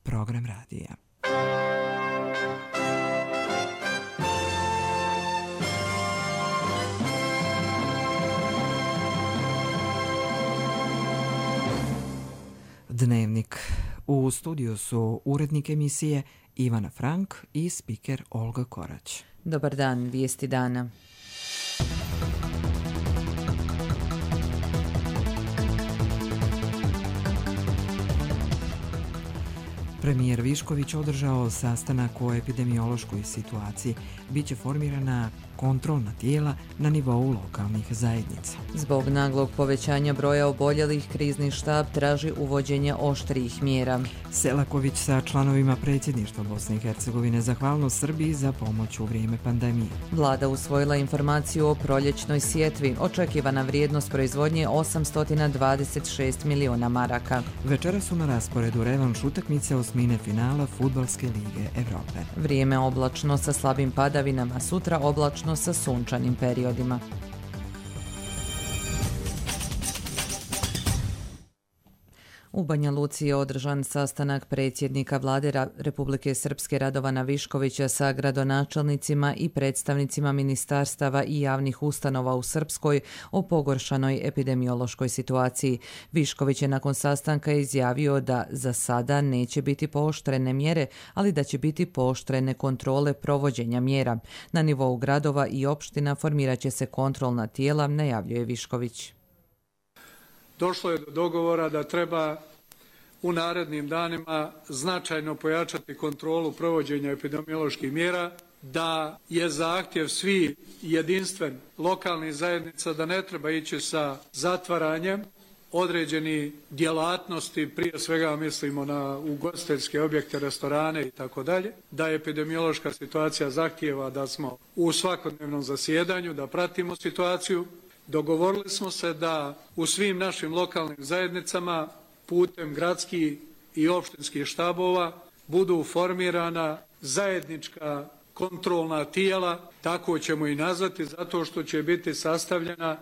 program radija. Dnevnik. U studiju su urednik emisije Ivana Frank i spiker Olga Korać. Dobar dan, vijesti dana. Premijer Višković održao sastanak o epidemiološkoj situaciji. Biće formirana kontrolna tijela na nivou lokalnih zajednica. Zbog naglog povećanja broja oboljelih, krizni štab traži uvođenje oštrijih mjera. Selaković sa članovima predsjedništva Bosne i Hercegovine zahvalno Srbiji za pomoć u vrijeme pandemije. Vlada usvojila informaciju o proljećnoj sjetvi. Očekivana vrijednost proizvodnje 826 miliona maraka. Večera su na rasporedu revanš utakmice osmine finala Fudbalske lige Evrope. Vrijeme oblačno sa slabim padavinama, sutra oblačno sa sunčanim periodima. U Banja Luci je održan sastanak predsjednika Vlade Republike Srpske Radovana Viškovića sa gradonačelnicima i predstavnicima ministarstava i javnih ustanova u Srpskoj o pogoršanoj epidemiološkoj situaciji. Višković je nakon sastanka izjavio da za sada neće biti pooštrene mjere, ali da će biti pooštrene kontrole provođenja mjera. Na nivou gradova i opština formirat će se kontrolna tijela, najavljuje Višković. Došlo je do dogovora da treba u narednim danima značajno pojačati kontrolu provođenja epidemioloških mjera, da je zahtjev svi jedinstven lokalnih zajednica da ne treba ići sa zatvaranjem određenih djelatnosti, prije svega mislimo na ugostiteljske objekte, restorane i tako dalje, da epidemiološka situacija zahtijeva da smo u svakodnevnom zasjedanju, da pratimo situaciju. Dogovorili smo se da u svim našim lokalnim zajednicama putem gradskih i opštinskih štabova budu formirana zajednička kontrolna tijela, tako ćemo i nazvati, zato što će biti sastavljena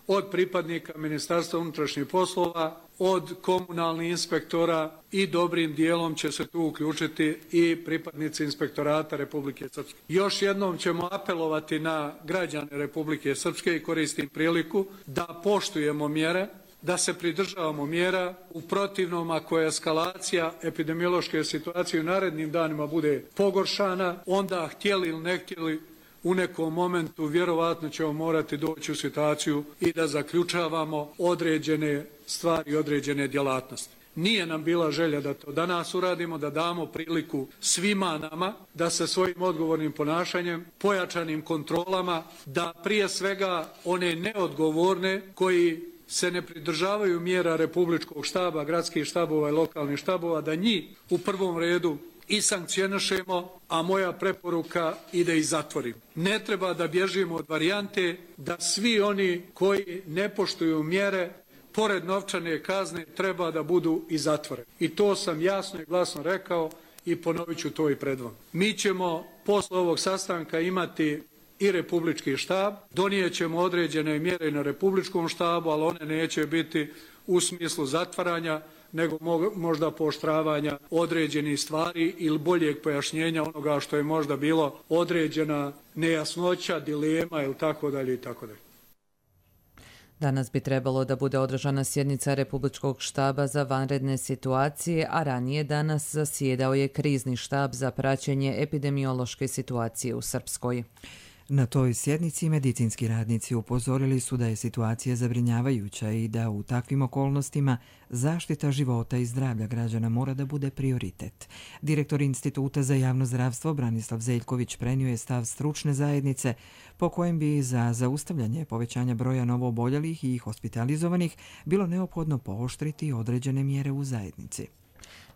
od pripadnika Ministarstva unutrašnjih poslova, od komunalnih inspektora i dobrim dijelom će se tu uključiti i pripadnici inspektorata Republike Srpske. Još jednom ćemo apelovati na građane Republike Srpske i koristim priliku da poštujemo mjere, da se pridržavamo mjera. U protivnom, ako je eskalacija epidemiološke situacije u narednim danima bude pogoršana, onda htjeli ili ne htjeli u nekom momentu vjerovatno ćemo morati doći u situaciju i da zaključavamo određene stvari i određene djelatnosti. Nije nam bila želja da to danas uradimo, da damo priliku svima nama da se svojim odgovornim ponašanjem, pojačanim kontrolama, da prije svega one neodgovorne koji se ne pridržavaju mjera republičkog štaba, gradskih štabova i lokalnih štabova, da njih u prvom redu i sankcionišemo, a moja preporuka ide i zatvorimo. Ne treba da bježimo od varijante da svi oni koji ne poštuju mjere, pored novčane kazne, treba da budu i zatvoreni. I to sam jasno i glasno rekao i ponovit ću to i pred vama. Mi ćemo posle ovog sastanka imati i republički štab, donijet ćemo određene mjere na republičkom štabu, ali one neće biti u smislu zatvaranja, nego možda pooštravanja određenih stvari ili boljeg pojašnjenja onoga što je možda bilo određena nejasnoća, dilema ili tako dalje i tako dalje. Danas bi trebalo da bude održana sjednica Republičkog štaba za vanredne situacije, a ranije danas zasjedao je krizni štab za praćenje epidemiološke situacije u Srpskoj. Na toj sjednici medicinski radnici upozorili su da je situacija zabrinjavajuća i da u takvim okolnostima zaštita života i zdravlja građana mora da bude prioritet. Direktor Instituta za javno zdravstvo Branislav Zeljković prenio je stav stručne zajednice po kojem bi za zaustavljanje povećanja broja novooboljelih i hospitalizovanih bilo neophodno pooštriti određene mjere u zajednici.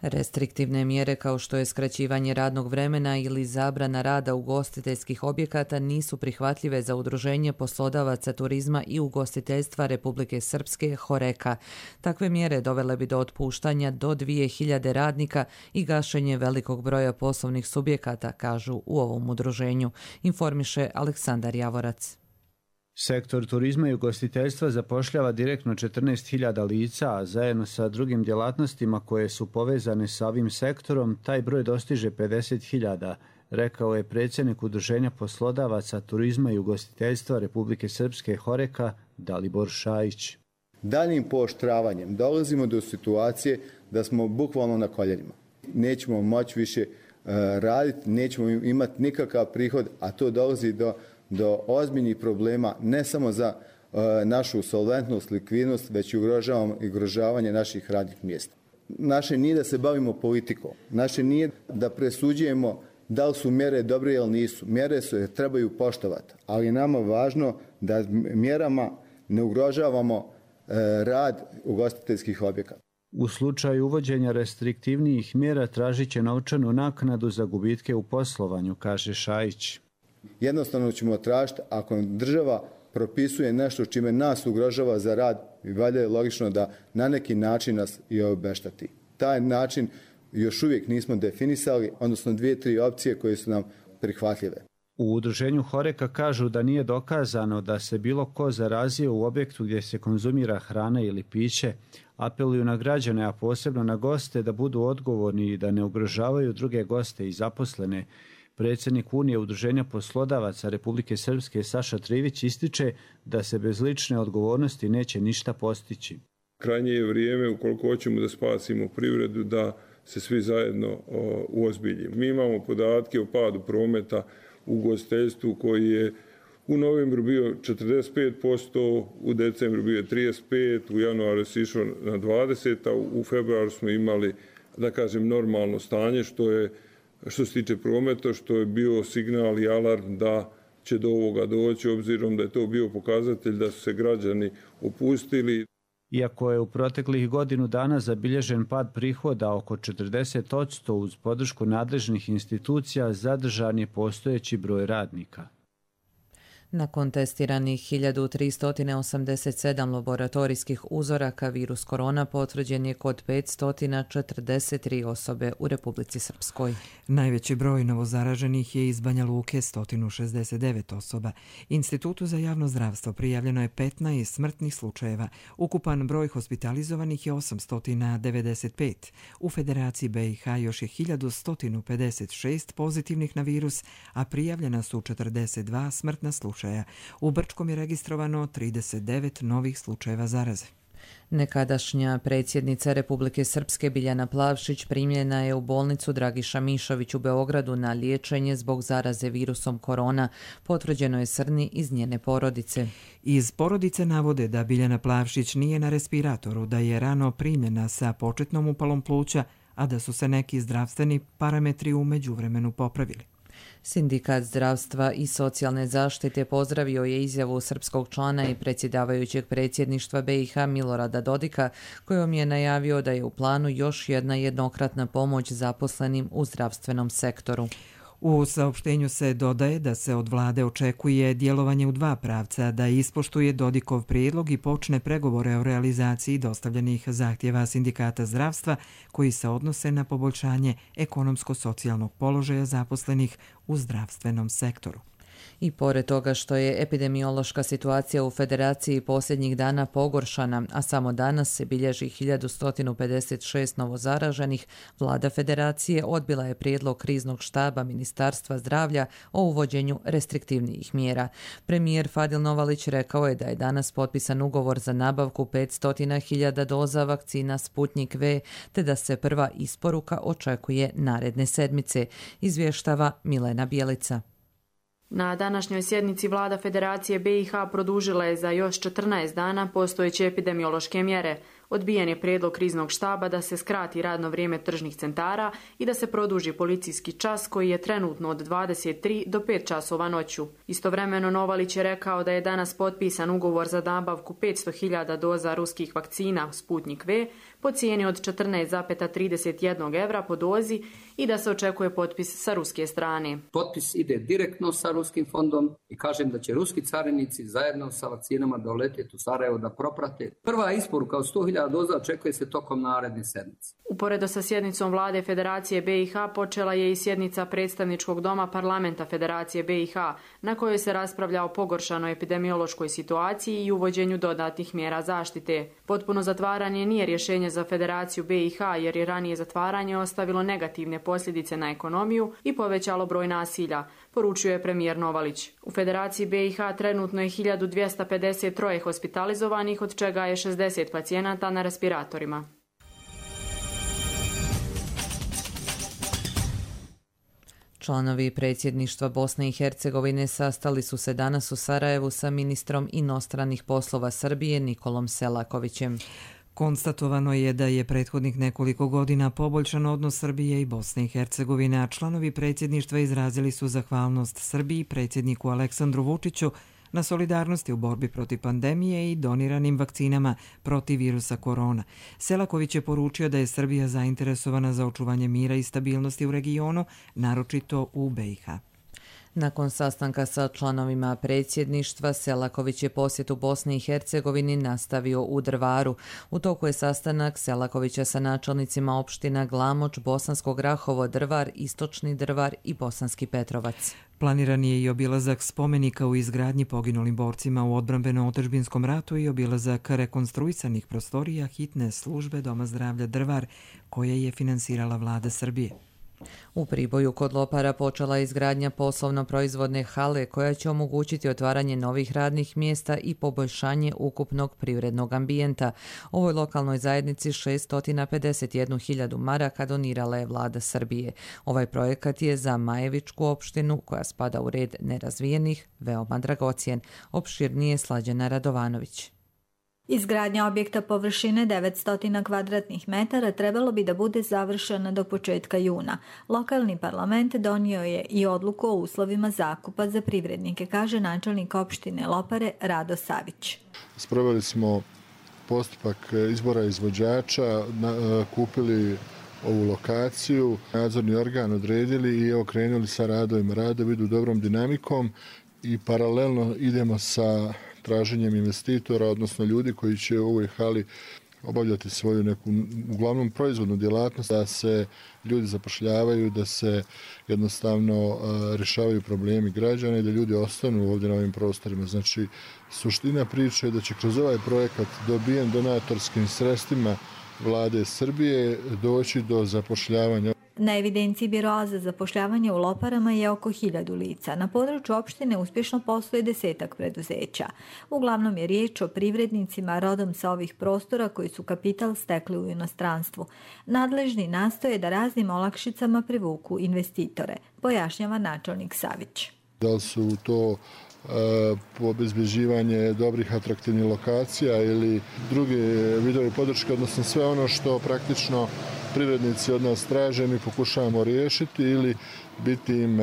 Restriktivne mjere kao što je skraćivanje radnog vremena ili zabrana rada ugostiteljskih objekata nisu prihvatljive za Udruženje poslodavaca turizma i ugostiteljstva Republike Srpske HOREKA. Takve mjere dovele bi do otpuštanja do 2000 radnika i gašenje velikog broja poslovnih subjekata, kažu u ovom udruženju, informiše Aleksandar Javorac. Sektor turizma i ugostiteljstva zapošljava direktno 14.000 lica, a zajedno sa drugim djelatnostima koje su povezane sa ovim sektorom, taj broj dostiže 50.000, rekao je predsjednik Udruženja poslodavaca turizma i ugostiteljstva Republike Srpske HOREK-a Dalibor Šajić. Daljim pooštravanjem dolazimo do situacije da smo bukvalno na koljenima. Nećemo moći više raditi, nećemo imati nikakav prihod, a to dolazi do ozbiljnih problema ne samo za našu solventnost, likvidnost, već i ugrožavanje naših radnih mjesta. Naše nije da se bavimo politikom, naše nije da presuđujemo da li su mjere dobre ili nisu. Mjere se trebaju poštovati, ali je nama važno da mjerama ne ugrožavamo rad ugostiteljskih objekata. U slučaju uvođenja restriktivnijih mjera tražit će novčanu naknadu za gubitke u poslovanju, kaže Šajić. Jednostavno ćemo tražiti, ako država propisuje nešto čime nas ugrožava za rad, valjda je logično da na neki način nas i obešteti. Taj način još uvijek nismo definisali, odnosno 2-3 opcije koje su nam prihvatljive. U udruženju HOREK-a kažu da nije dokazano da se bilo ko zarazio u objektu gdje se konzumira hrana ili piće. Apeluju na građane, a posebno na goste, da budu odgovorni i da ne ugrožavaju druge goste i zaposlene. Predsjednik Unije Udruženja poslodavaca Republike Srpske Saša Trivić ističe da se bez lične odgovornosti neće ništa postići. Krajnje je vrijeme, ukoliko hoćemo da spasimo privredu, da se svi zajedno uozbiljimo. Mi imamo podatke o padu prometa u ugostiteljstvu koji je u novembru bio 45%, u decembru bio 35%, u januaru se išlo na 20%, a u februaru smo imali, da kažem, normalno stanje, što se tiče prometa, što je bio signal i alarm da će do ovoga doći, obzirom da je to bio pokazatelj da su se građani opustili. Iako je u proteklih godinu dana zabilježen pad prihoda oko 40%, uz podršku nadležnih institucija zadržan je postojeći broj radnika. Nakon testiranih 1387 laboratorijskih uzoraka, virus korona potvrđen je kod 543 osobe u Republici Srpskoj. Najveći broj novozaraženih je iz Banja Luke, 169 osoba. Institutu za javno zdravstvo prijavljeno je 15 smrtnih slučajeva. Ukupan broj hospitalizovanih je 895. U Federaciji BiH još je 1156 pozitivnih na virus, a prijavljena su 42 smrtna slučaja. U Brčkom je registrovano 39 novih slučajeva zaraze. Nekadašnja predsjednica Republike Srpske Biljana Plavšić primljena je u bolnicu Dragiša Mišović u Beogradu na liječenje zbog zaraze virusom korona. Potvrđeno je srni iz njene porodice. Iz porodice navode da Biljana Plavšić nije na respiratoru, da je rano primljena sa početnom upalom pluća, a da su se neki zdravstveni parametri u međuvremenu popravili. Sindikat zdravstva i socijalne zaštite pozdravio je izjavu srpskog člana i predsjedavajućeg predsjedništva BiH Milorada Dodika, kojom je najavio da je u planu još jedna jednokratna pomoć zaposlenim u zdravstvenom sektoru. U saopštenju se dodaje da se od vlade očekuje djelovanje u dva pravca, da ispoštuje Dodikov prijedlog i počne pregovore o realizaciji dostavljenih zahtjeva sindikata zdravstva koji se odnose na poboljšanje ekonomsko-socijalnog položaja zaposlenih u zdravstvenom sektoru. I pored toga što je epidemiološka situacija u Federaciji posljednjih dana pogoršana, a samo danas se bilježi 1156 novozaraženih, vlada Federacije odbila je prijedlog kriznog štaba Ministarstva zdravlja o uvođenju restriktivnijih mjera. Premijer Fadil Novalić rekao je da je danas potpisan ugovor za nabavku 500.000 doza vakcina Sputnik V, te da se prva isporuka očekuje naredne sedmice, izvještava Milena Bjelica. Na današnjoj sjednici vlada Federacije BiH produžila je za još 14 dana postojeće epidemiološke mjere. Odbijen je prijedlog kriznog štaba da se skrati radno vrijeme tržnih centara i da se produži policijski čas koji je trenutno od 23 do 5 časova noću. Istovremeno Novalić je rekao da je danas potpisan ugovor za nabavku 500.000 doza ruskih vakcina Sputnik V, po cijeni od 14,31 evra po dozi i da se očekuje potpis sa ruske strane. Potpis ide direktno sa ruskim fondom i kažem da će ruski carinici zajedno sa vakcinama doletjeti u Sarajevo da proprate. Prva isporuka od 100.000 doza očekuje se tokom naredne sedmice. Uporedo sa sjednicom vlade Federacije BiH počela je i sjednica predstavničkog doma parlamenta Federacije BiH, na kojoj se raspravlja o pogoršanoj epidemiološkoj situaciji i uvođenju dodatnih mjera zaštite. Potpuno zatvaranje nije rješenje za Federaciju BiH jer je ranije zatvaranje ostavilo negativne posljedice na ekonomiju i povećalo broj nasilja, poručio je premijer Novalić. U Federaciji BiH trenutno je 1253 hospitalizovanih, od čega je 60 pacijenata na respiratorima. Članovi predsjedništva Bosne i Hercegovine sastali su se danas u Sarajevu sa ministrom inostranih poslova Srbije Nikolom Selakovićem. Konstatovano je da je prethodnih nekoliko godina poboljšan odnos Srbije i Bosne i Hercegovine, a članovi predsjedništva izrazili su zahvalnost Srbiji, predsjedniku Aleksandru Vučiću, na solidarnosti u borbi protiv pandemije i doniranim vakcinama protiv virusa korona. Selaković je poručio da je Srbija zainteresovana za očuvanje mira i stabilnosti u regionu, naročito u BiH. Nakon sastanka sa članovima predsjedništva, Selaković je posjet u Bosni i Hercegovini nastavio u Drvaru. U toku je sastanak Selakovića sa načelnicima opština Glamoč, Bosansko Grahovo, Drvar, Istočni Drvar i Bosanski Petrovac. Planiran je i obilazak spomenika u izgradnji poginulim borcima u odbrambeno-otadžbinskom ratu i obilazak rekonstruisanih prostorija hitne službe Doma zdravlja Drvar, koje je finansirala vlada Srbije. U Priboju kod Lopara počela je izgradnja poslovno-proizvodne hale koja će omogućiti otvaranje novih radnih mjesta i poboljšanje ukupnog privrednog ambijenta. Ovoj lokalnoj zajednici 651.000 maraka donirala je vlada Srbije. Ovaj projekat je za Majevičku opštinu, koja spada u red nerazvijenih, veoma dragocjen. Opširnije Slađana Radovanović. Izgradnja objekta površine 900 kvadratnih metara trebalo bi da bude završena do početka juna. Lokalni parlament donio je i odluku o uslovima zakupa za privrednike, kaže načelnik opštine Lopare Rado Savić. Sproveli smo postupak izbora izvođača, kupili ovu lokaciju, nadzorni organ odredili i krenuli sa radovima. Radovi idu dobrom dinamikom i paralelno idemo sa traženjem investitora, odnosno ljudi koji će u ovoj hali obavljati svoju neku, uglavnom proizvodnu djelatnost, da se ljudi zapošljavaju, da se jednostavno rješavaju problemi građana i da ljudi ostanu ovdje na ovim prostorima. Znači, suština priče je da će kroz ovaj projekat dobijen donatorskim sredstvima vlade Srbije doći do zapošljavanja. Na evidenciji Biroa za zapošljavanje u Loparama je oko 1000 lica. Na području opštine uspješno posluje 10 preduzeća. Uglavnom je riječ o privrednicima rodom sa ovih prostora koji su kapital stekli u inostranstvu. Nadležni nastoje da raznim olakšicama privuku investitore, pojašnjava načelnik Savić. Da li su to obezbeđivanje dobrih atraktivnih lokacija ili druge vidove podrške, odnosno sve ono što praktično privrednici od nas traže, mi pokušavamo riješiti ili biti im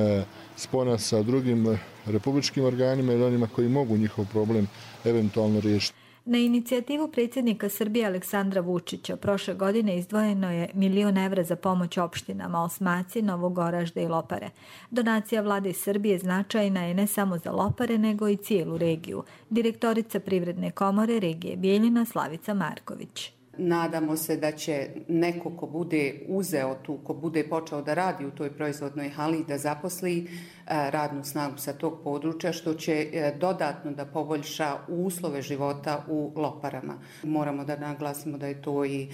spona sa drugim republičkim organima ili onima koji mogu njihov problem eventualno riješiti. Na inicijativu predsjednika Srbije Aleksandra Vučića prošle godine izdvojeno je 1 milion evra za pomoć opštinama Osmaci, Novog Oražda i Lopare. Donacija vlade Srbije značajna je ne samo za Lopare, nego i cijelu regiju. Direktorica Privredne komore regije Bijeljina Slavica Marković. Nadamo se da će neko ko bude uzeo tu, ko bude počeo da radi u toj proizvodnoj hali, da zaposli radnu snagu sa tog područja, što će dodatno da poboljša uslove života u Loparama. Moramo da naglasimo da je to i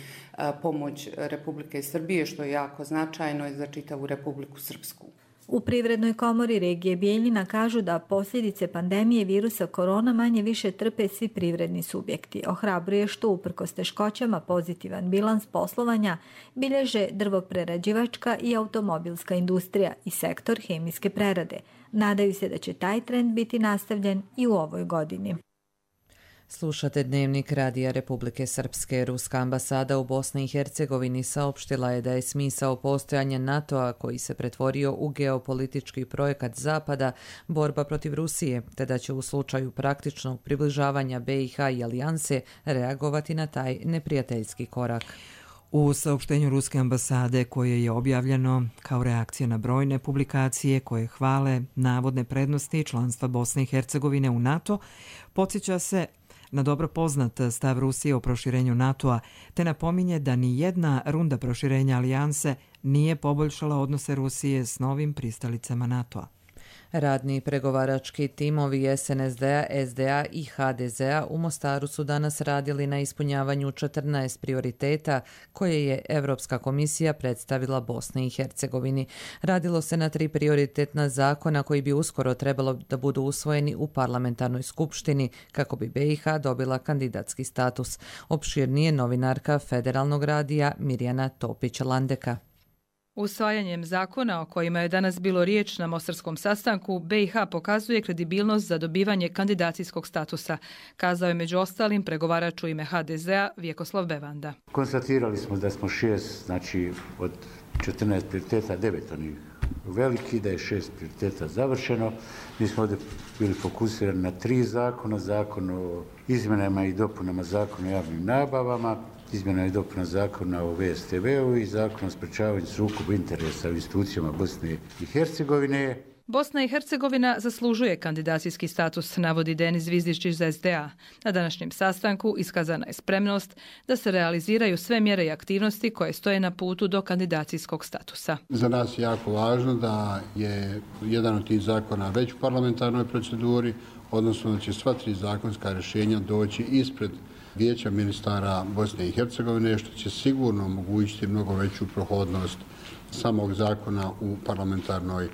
pomoć Republike Srbije, što je jako značajno za čitavu Republiku Srpsku. U Privrednoj komori regije Bijeljina kažu da posljedice pandemije virusa korona manje više trpe svi privredni subjekti. Ohrabruje što uprkos teškoćama pozitivan bilans poslovanja bilježe drvoprerađivačka i automobilska industrija i sektor hemijske prerade. Nadaju se da će taj trend biti nastavljen i u ovoj godini. Slušate Dnevnik Radija Republike Srpske. Ruska ambasada u Bosni i Hercegovini saopštila je da je smisao postojanja NATO-a, koji se pretvorio u geopolitički projekat Zapada, borba protiv Rusije, te da će u slučaju praktičnog približavanja BiH i alijanse reagovati na taj neprijateljski korak. U saopštenju Ruske ambasade, koje je objavljeno kao reakcija na brojne publikacije koje hvale navodne prednosti članstva Bosne i Hercegovine u NATO, podsjeća se na dobro poznat stav Rusije o proširenju NATO-a, te napominje da ni jedna runda proširenja alijanse nije poboljšala odnose Rusije s novim pristalicama NATO-a. Radni pregovarački timovi SNSD-a, SDA i HDZ-a u Mostaru su danas radili na ispunjavanju 14 prioriteta koje je Evropska komisija predstavila Bosni i Hercegovini. Radilo se na 3 prioritetna zakona koji bi uskoro trebalo da budu usvojeni u parlamentarnoj skupštini kako bi BiH dobila kandidatski status. Opširnije novinarka Federalnog radija Mirjana Topić-Landeka. Usvajanjem zakona o kojima je danas bilo riječ na mostarskom sastanku, BiH pokazuje kredibilnost za dobivanje kandidacijskog statusa, kazao je među ostalim pregovarač u ime HDZ-a Vjekoslav Bevanda. Konstatirali smo da smo 6, znači od 14 prioriteta 9 onih veliki, da je 6 prioriteta završeno. Mi smo ovdje bili fokusirani na 3 zakona, zakon o izmjenama i dopunama zakona o javnim nabavama, izmjena i dopuna zakona o VSTV-u i zakon o sprečavanju sukoba interesa u institucijama Bosne i Hercegovine. Bosna i Hercegovina zaslužuje kandidacijski status, navodi Denis Zvizdić iz SDA. Na današnjem sastanku iskazana je spremnost da se realiziraju sve mjere i aktivnosti koje stoje na putu do kandidacijskog statusa. Za nas je jako važno da je jedan od tih zakona već u parlamentarnoj proceduri, odnosno da će sva 3 zakonska rješenja doći ispred Vijeća ministara Bosne i Hercegovine, što će sigurno omogućiti mnogo veću prohodnost samog zakona u parlamentarnoj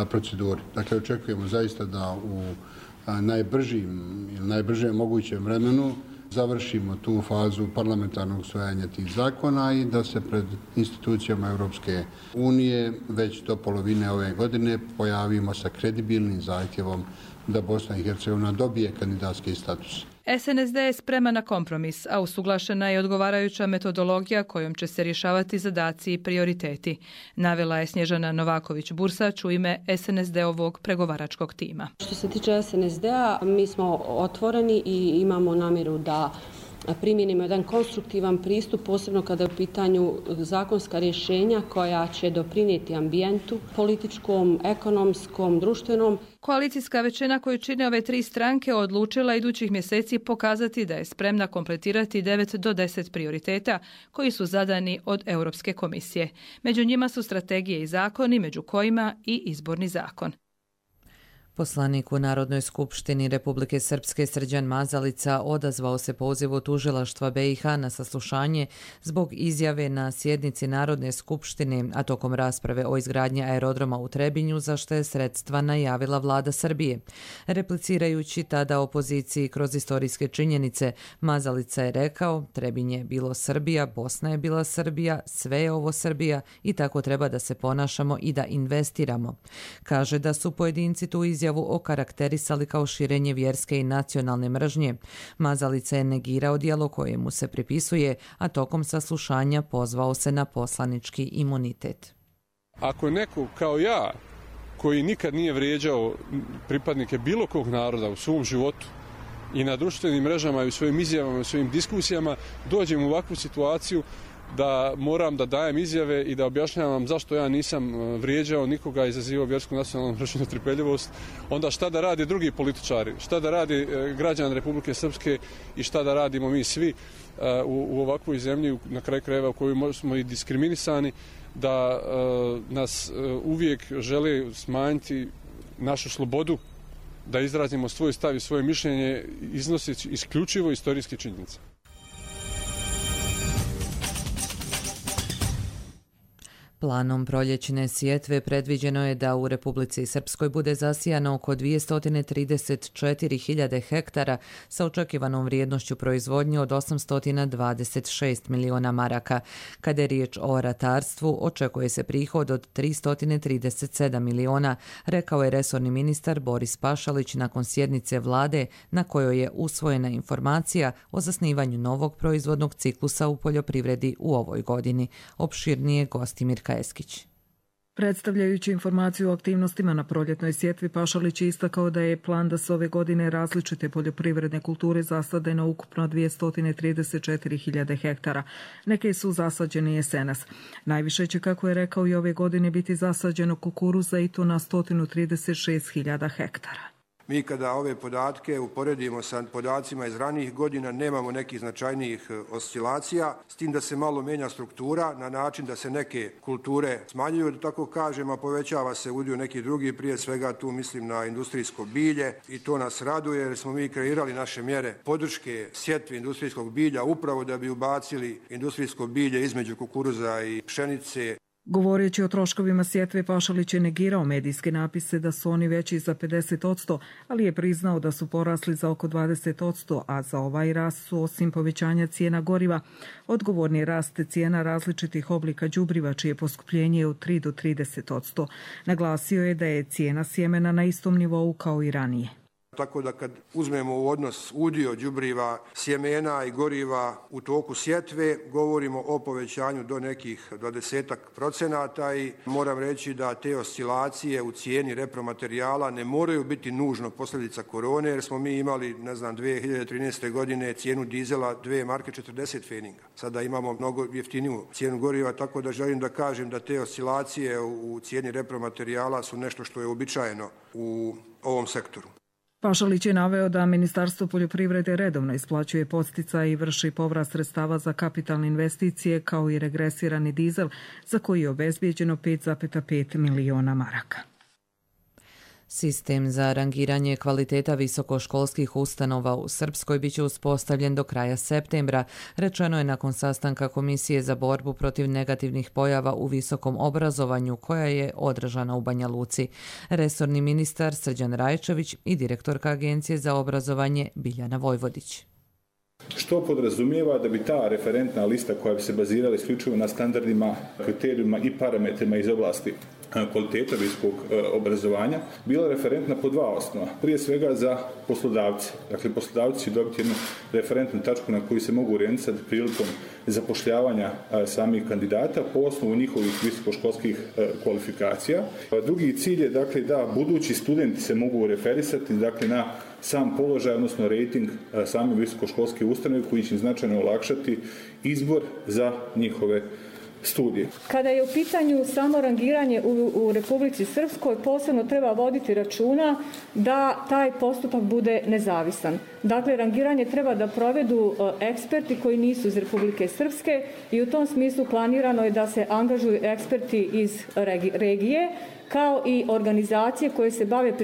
proceduri. Dakle, očekujemo zaista da u najbržem mogućem vremenu završimo tu fazu parlamentarnog usvajanja tih zakona i da se pred institucijama Europske unije već do polovine ove godine pojavimo sa kredibilnim zahtjevom da Bosna i Hercegovina dobije kandidatski status. SNSD je spreman na kompromis, a usuglašena je odgovarajuća metodologija kojom će se rješavati zadaci i prioriteti, navela je Snježana Novaković-Bursač u ime SNSD-ovog pregovaračkog tima. Što se tiče SNSD-a, mi smo otvoreni i imamo namjeru da primijenimo jedan konstruktivan pristup, posebno kada je u pitanju zakonska rješenja koja će doprinijeti ambijentu, političkom, ekonomskom, društvenom. Koalicijska većina koju čine ove 3 stranke odlučila idućih mjeseci pokazati da je spremna kompletirati 9 do 10 prioriteta koji su zadani od Europske komisije. Među njima su strategije i zakoni, među kojima i izborni zakon. Poslanik u Narodnoj skupštini Republike Srpske Srđan Mazalica odazvao se pozivu tužilaštva BiH na saslušanje zbog izjave na sjednici Narodne skupštine, a tokom rasprave o izgradnji aerodroma u Trebinju, za što je sredstva najavila vlada Srbije. Replicirajući tada opoziciji kroz istorijske činjenice, Mazalica je rekao: Trebinj je bilo Srbija, Bosna je bila Srbija, sve je ovo Srbija i tako treba da se ponašamo i da investiramo. Kaže da su pojedinci tu izjavu okarakterisali kao širenje vjerske i nacionalne mržnje. Mazalica je negirao djelo koje mu se pripisuje, a tokom saslušanja pozvao se na poslanički imunitet. Ako je neko kao ja, koji nikad nije vrijeđao pripadnike bilo kog naroda u svom životu i na društvenim mrežama i u svojim izjavama i u svojim diskusijama, dođem u ovakvu situaciju da moram da dajem izjave i da objašnjavam zašto ja nisam vrijeđao nikoga, izazivao vjersku, nacionalnu mržnju, netrpeljivost, onda šta da rade drugi političari, šta da radi građani Republike Srpske i šta da radimo mi svi u ovakvoj zemlji, na kraju krajeva u kojoj smo i diskriminisani, da nas uvijek žele smanjiti našu slobodu, da izrazimo svoj stav i svoje mišljenje iznoseći isključivo istorijske činjenice. Planom proljećne sjetve predviđeno je da u Republici Srpskoj bude zasijano oko 234.000 hektara sa očekivanom vrijednošću proizvodnje od 826 miliona maraka. Kada je riječ o ratarstvu, očekuje se prihod od 337 miliona, rekao je resorni ministar Boris Pašalić nakon sjednice vlade na kojoj je usvojena informacija o zasnivanju novog proizvodnog ciklusa u poljoprivredi u ovoj godini. Opširnije Gostimir Kajeskić. Predstavljajući informaciju o aktivnostima na proljetnoj sjetvi, Pašalić je istakao da je plan da se ove godine različite poljoprivredne kulture zasade na ukupno 234.000 hektara. Neke su zasađene jesenas. Najviše će, kako je rekao, i ove godine biti zasađeno kukuruza i to na 136.000 hektara. Mi kada ove podatke uporedimo sa podacima iz ranijih godina, nemamo nekih značajnijih oscilacija, s tim da se malo mijenja struktura na način da se neke kulture smanjuju, da tako kažem, a povećava se udio nekih drugih, prije svega tu mislim na industrijsko bilje, i to nas raduje jer smo mi kreirali naše mjere podrške sjetvi industrijskog bilja upravo da bi ubacili industrijsko bilje između kukuruza i pšenice. Govoreći o troškovima sjetve, Pašalić je negirao medijske napise da su oni veći za 50%, ali je priznao da su porasli za oko 20%, a za ovaj rast su, osim povećanja cijena goriva, odgovorni rast cijena različitih oblika đubriva, čije poskupljenje je od 3 do 30%. Naglasio je da je cijena sjemena na istom nivou kao i ranije. Tako da kad uzmemo u odnos udio đubriva, sjemena i goriva u toku sjetve, govorimo o povećanju do nekih 20% i moram reći da te oscilacije u cijeni repromaterijala ne moraju biti nužno posljedica korone, jer smo mi imali, 2013. godine cijenu dizela 2 marke 40 feninga. Sada imamo mnogo jeftiniju cijenu goriva, tako da želim da kažem da te oscilacije u cijeni repromaterijala su nešto što je uobičajeno u ovom sektoru. Pašalić je naveo da Ministarstvo poljoprivrede redovno isplaćuje podsticaje i vrši povrat sredstava za kapitalne investicije kao i regresirani dizel za koji je obezbijeđeno 5,5 miliona maraka. Sistem za rangiranje kvaliteta visokoškolskih ustanova u Srpskoj biće uspostavljen do kraja septembra, rečeno je nakon sastanka Komisije za borbu protiv negativnih pojava u visokom obrazovanju koja je održana u Banja Luci. Resorni ministar Srđan Rajčević i direktorka Agencije za obrazovanje Biljana Vojvodić. Što podrazumijeva da bi ta referentna lista koja bi se bazirala isključivo na standardima, kriterijima i parametrima iz oblasti kvaliteta visokog obrazovanja bila referentna po dva osnova. Prije svega za poslodavce. Dakle, poslodavci će dobiti jednu referentnu tačku na koju se mogu orijentisati prilikom zapošljavanja samih kandidata po osnovu njihovih visokoškolskih kvalifikacija. Drugi cilj je dakle da budući studenti se mogu referisati dakle na sam položaj, odnosno rating same visokoškolske ustanove koji će im značajno olakšati izbor za njihove studije. Kada je u pitanju samo rangiranje u Republici Srpskoj, posebno treba voditi računa da taj postupak bude nezavisan. Dakle, rangiranje treba da provedu eksperti koji nisu iz Republike Srpske i u tom smislu planirano je da se angažuju eksperti iz regije, kao i organizacije koje se bave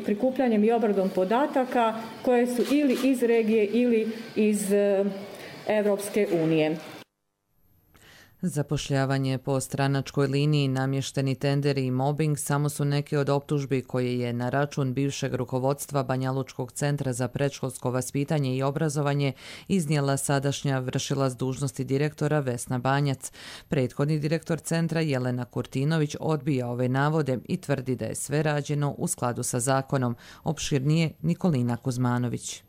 prikupljanjem i obradom podataka koje su ili iz regije ili iz Evropske unije. Zapošljavanje po stranačkoj liniji, namješteni tenderi i mobbing samo su neke od optužbi koje je na račun bivšeg rukovodstva Banjalučkog centra za predškolsko vaspitanje i obrazovanje iznijela sadašnja vršilac dužnosti direktora Vesna Banjac. Prethodni direktor centra Jelena Kurtinović odbija ove navode i tvrdi da je sve rađeno u skladu sa zakonom. Opširnije Nikolina Kuzmanović.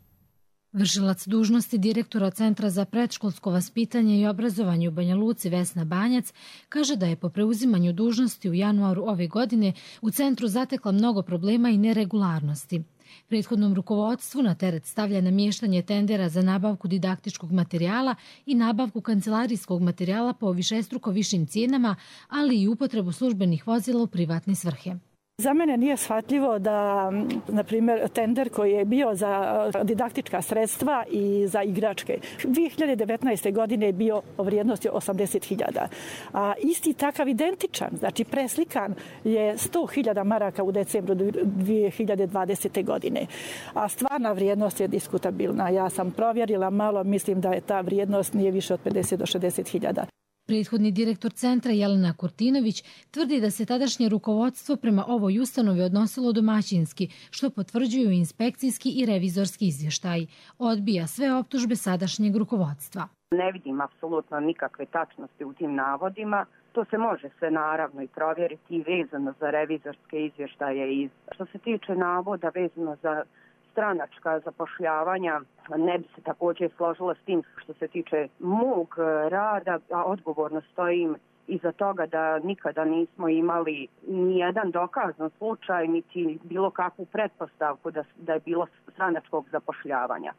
Vršilac dužnosti direktora Centra za predškolsko vaspitanje i obrazovanje u Banja Luci Vesna Banjac kaže da je po preuzimanju dužnosti u januaru ove godine u centru zatekla mnogo problema i neregularnosti. Prethodnom rukovodstvu na teret stavlja namještanje tendera za nabavku didaktičkog materijala i nabavku kancelarijskog materijala po višestruko višim cijenama, ali i upotrebu službenih vozila u privatne svrhe. Za mene nije shvatljivo da, na primjer, tender koji je bio za didaktička sredstva i za igračke 2019. godine je bio o vrijednosti 80.000. A isti takav identičan, znači preslikan je 100.000 maraka u decembru 2020. godine. A stvarna vrijednost je diskutabilna. Ja sam provjerila malo, mislim da je ta vrijednost nije više od 50 do 60.000. Prethodni direktor centra Jelena Kurtinović tvrdi da se tadašnje rukovodstvo prema ovoj ustanovi odnosilo domaćinski, što potvrđuju inspekcijski i revizorski izvještaji. Odbija sve optužbe sadašnjeg rukovodstva. Ne vidim apsolutno nikakve tačnosti u tim navodima. To se može sve naravno i provjeriti i vezano za revizorske izvještaje. Što se tiče navoda vezano za stranačka zapošljavanja, ne bi se također složila s tim što se tiče mog rada, a odgovorno stojim iza toga da nikada nismo imali ni jedan dokazan slučaj, niti bilo kakvu pretpostavku da je bilo stranačkog zapošljavanja.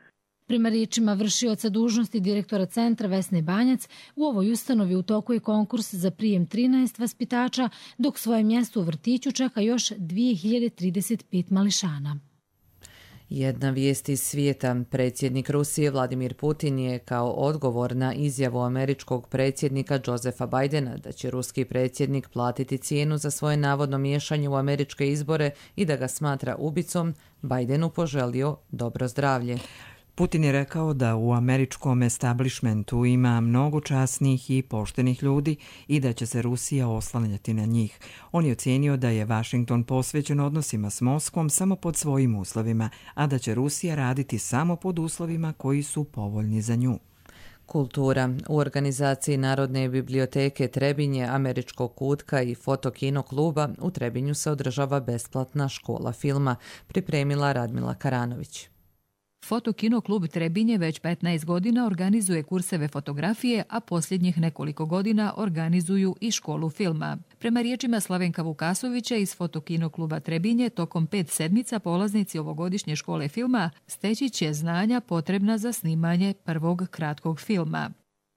Prema riječima vršioca dužnosti direktora centra Vesne Banjac, u ovoj ustanovi u toku je konkurs za prijem 13 vaspitača, dok svoje mjesto u vrtiću čeka još 2035 mališana. Jedna vijest iz svijeta. Predsjednik Rusije Vladimir Putin je kao odgovor na izjavu američkog predsjednika Josepha Bidena da će ruski predsjednik platiti cijenu za svoje navodno miješanje u američke izbore i da ga smatra ubicom, Bidenu poželio dobro zdravlje. Putin je rekao da u američkom establishmentu ima mnogo časnih i poštenih ljudi i da će se Rusija oslanjati na njih. On je ocijenio da je Washington posvećen odnosima s Moskvom samo pod svojim uslovima, a da će Rusija raditi samo pod uslovima koji su povoljni za nju. Kultura. U organizaciji Narodne biblioteke Trebinje, Američkog kutka i Fotokino kluba u Trebinju se održava besplatna škola filma, pripremila Radmila Karanović. Fotokino klub Trebinje već 15 godina organizuje kurseve fotografije, a posljednjih nekoliko godina organizuju i školu filma. Prema riječima Slavenka Vukasovića iz Fotokino kluba Trebinje, tokom 5 sedmica polaznici ovogodišnje škole filma steći će znanja potrebna za snimanje prvog kratkog filma.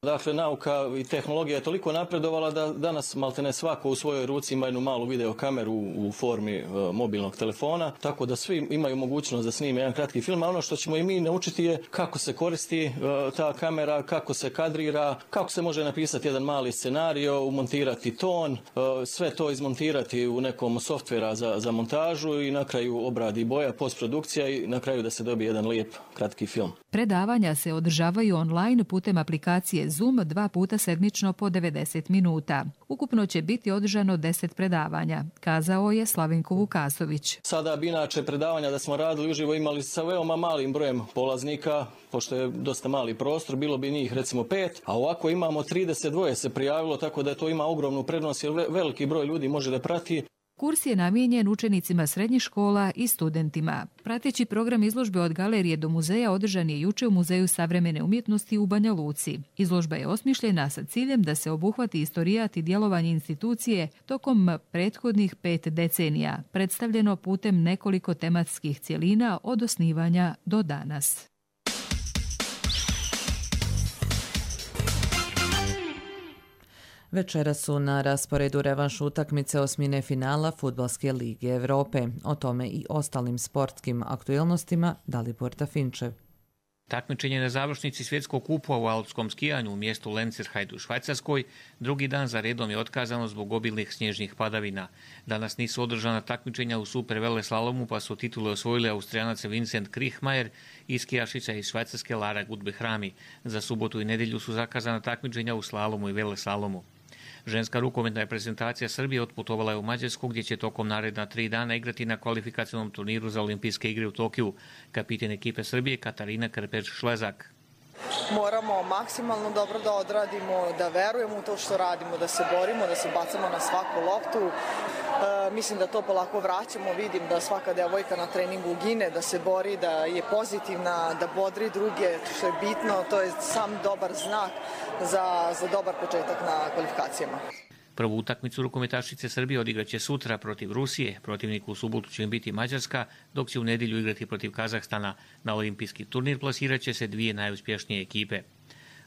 Dakle, nauka i tehnologija je toliko napredovala da danas maltene svako u svojoj ruci ima jednu malu videokameru u formi mobilnog telefona, tako da svi imaju mogućnost da snime jedan kratki film, a ono što ćemo i mi naučiti je kako se koristi ta kamera, kako se kadrira, kako se može napisati jedan mali scenario, umontirati ton, sve to izmontirati u nekom softvera za montažu i na kraju obradi boja, postprodukcija i na kraju da se dobije jedan lijep kratki film. Predavanja se održavaju online putem aplikacije Zoom 2 puta sedmično po 90 minuta. Ukupno će biti održano 10 predavanja, kazao je Slavenko Vukasović. Sada bi inače predavanja da smo radili uživo imali sa veoma malim brojem polaznika, pošto je dosta mali prostor, bilo bi njih recimo 5, a ovako imamo 32 se prijavilo, tako da to ima ogromnu prednost jer veliki broj ljudi može da prati. Kurs je namijenjen učenicima srednjih škola i studentima. Prateći program izložbe od galerije do muzeja održan je juče u Muzeju savremene umjetnosti u Banja Luci. Izložba je osmišljena sa ciljem da se obuhvati istorijat i djelovanje institucije tokom prethodnih 5 decenija, predstavljeno putem nekoliko tematskih cjelina od osnivanja do danas. Večera su na rasporedu revanš utakmice osmine finala Fudbalske lige Europe. O tome i ostalim sportskim aktualnostima Dalibor Tafinčev. Takmičenje na završnici svjetskog kupa u alpskom skijanju u mjestu Lenzerheide u Švajcarskoj drugi dan za redom je otkazano zbog obilnih snježnih padavina. Danas nisu održana takmičenja u super veleslalomu, pa su titule osvojili Austrijanac Vincent Kriechmayer i skijašica iz Švajcarske Lara Gutbehrami. Za subotu i nedjelju su zakazana takmičenja u slalomu i veleslalomu. Ženska rukometna reprezentacija Srbije otputovala je u Mađarsku gdje će tokom naredna 3 dana igrati na kvalifikacionom turniru za olimpijske igre u Tokiju. Kapitan ekipe Srbije Katarina Krpeć-Šlezak. Moramo maksimalno dobro da odradimo, da verujemo u to što radimo, da se borimo, da se bacamo na svaku loptu. Mislim da to polako vraćamo, vidim da svaka devojka na treningu gine, da se bori, da je pozitivna, da bodri druge, što je bitno, to je sam dobar znak za dobar početak na kvalifikacijama. Prvu utakmicu rukometašice Srbije odigraće sutra protiv Rusije, protivnik u subotu će im biti Mađarska, dok će u nedjelju igrati protiv Kazahstana. Na olimpijski turnir plasirat će se 2 najuspješnije ekipe.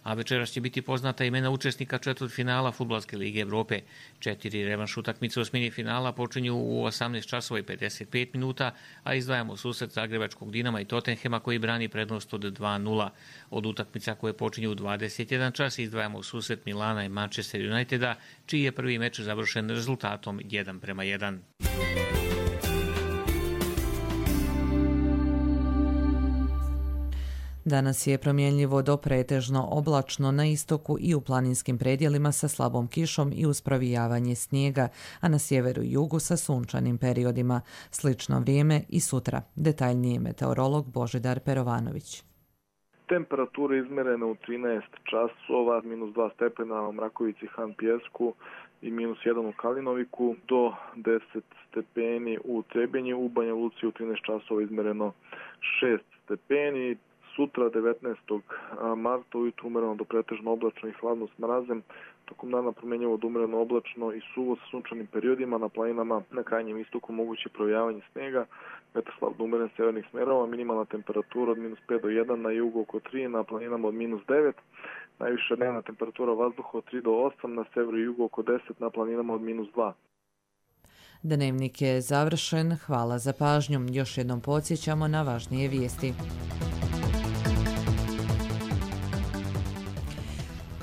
A večeras će biti poznata imena učesnika četvrtfinala Fudbalske lige Europe. 4 revanš utakmice osmini finala počinju u 18 časova i 55 minuta, a izdvajamo susret Zagrebačkog Dinama i Tottenhema koji brani prednost od 2-0. Od utakmica koje počinju u 21 čas izdvajamo susret Milana i Manchester Uniteda, čiji je prvi meč završen rezultatom 1:1. Danas je promjenljivo do pretežno oblačno na istoku i u planinskim predjelima sa slabom kišom i uz provijavanje snijega, a na sjeveru i jugu sa sunčanim periodima. Slično vrijeme i sutra. Detaljnije meteorolog Božidar Perovanović. Temperature izmerene u 13 časova, -2 stepena u Mrakovici, Han Pjesku i -1 u Kalinoviku, do 10 stepeni u Trebinju, u Banja Luci u 13 časova izmereno 6 stepeni. Sutra 19. marta ujutru umjereno do pretežno oblačno i hladno s mrazem, tokom dana promjenjivo do umjereno oblačno i suvo sa sunčanim periodima, na planinama na krajnjem istoku moguće provijavanje snijega, vetar slab do umjeren severnih smjerova, minimalna temperatura od -5 do 1, na jugu oko 3, na planinama od -9, najviša dnevna temperatura vazduha od 3 do 8, na severu i jugu oko 10, na planinama od -2. Dnevnik je završen, hvala za pažnju. Još jednom podsjećamo na važnije vijesti.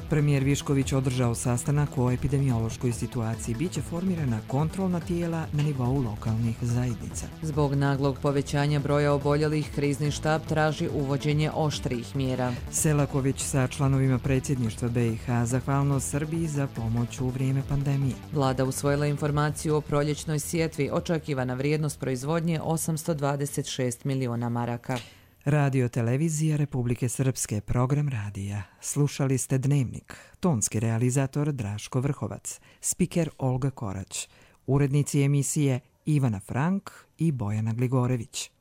Premijer Višković održao sastanak o epidemiološkoj situaciji. Biće formirana kontrolna tijela na nivou lokalnih zajednica. Zbog naglog povećanja broja oboljelih, krizni štab traži uvođenje oštrijih mjera. Selaković sa članovima predsjedništva BiH zahvalno Srbiji za pomoć u vrijeme pandemije. Vlada usvojila informaciju o proljećnoj sjetvi, očekivana vrijednost proizvodnje 826 miliona maraka. Radio televizija Republike Srpske, program radija. Slušali ste Dnevnik. Tonski realizator Draško Vrhovac, spiker Olga Korać, urednici emisije Ivana Frank i Bojana Gligorević.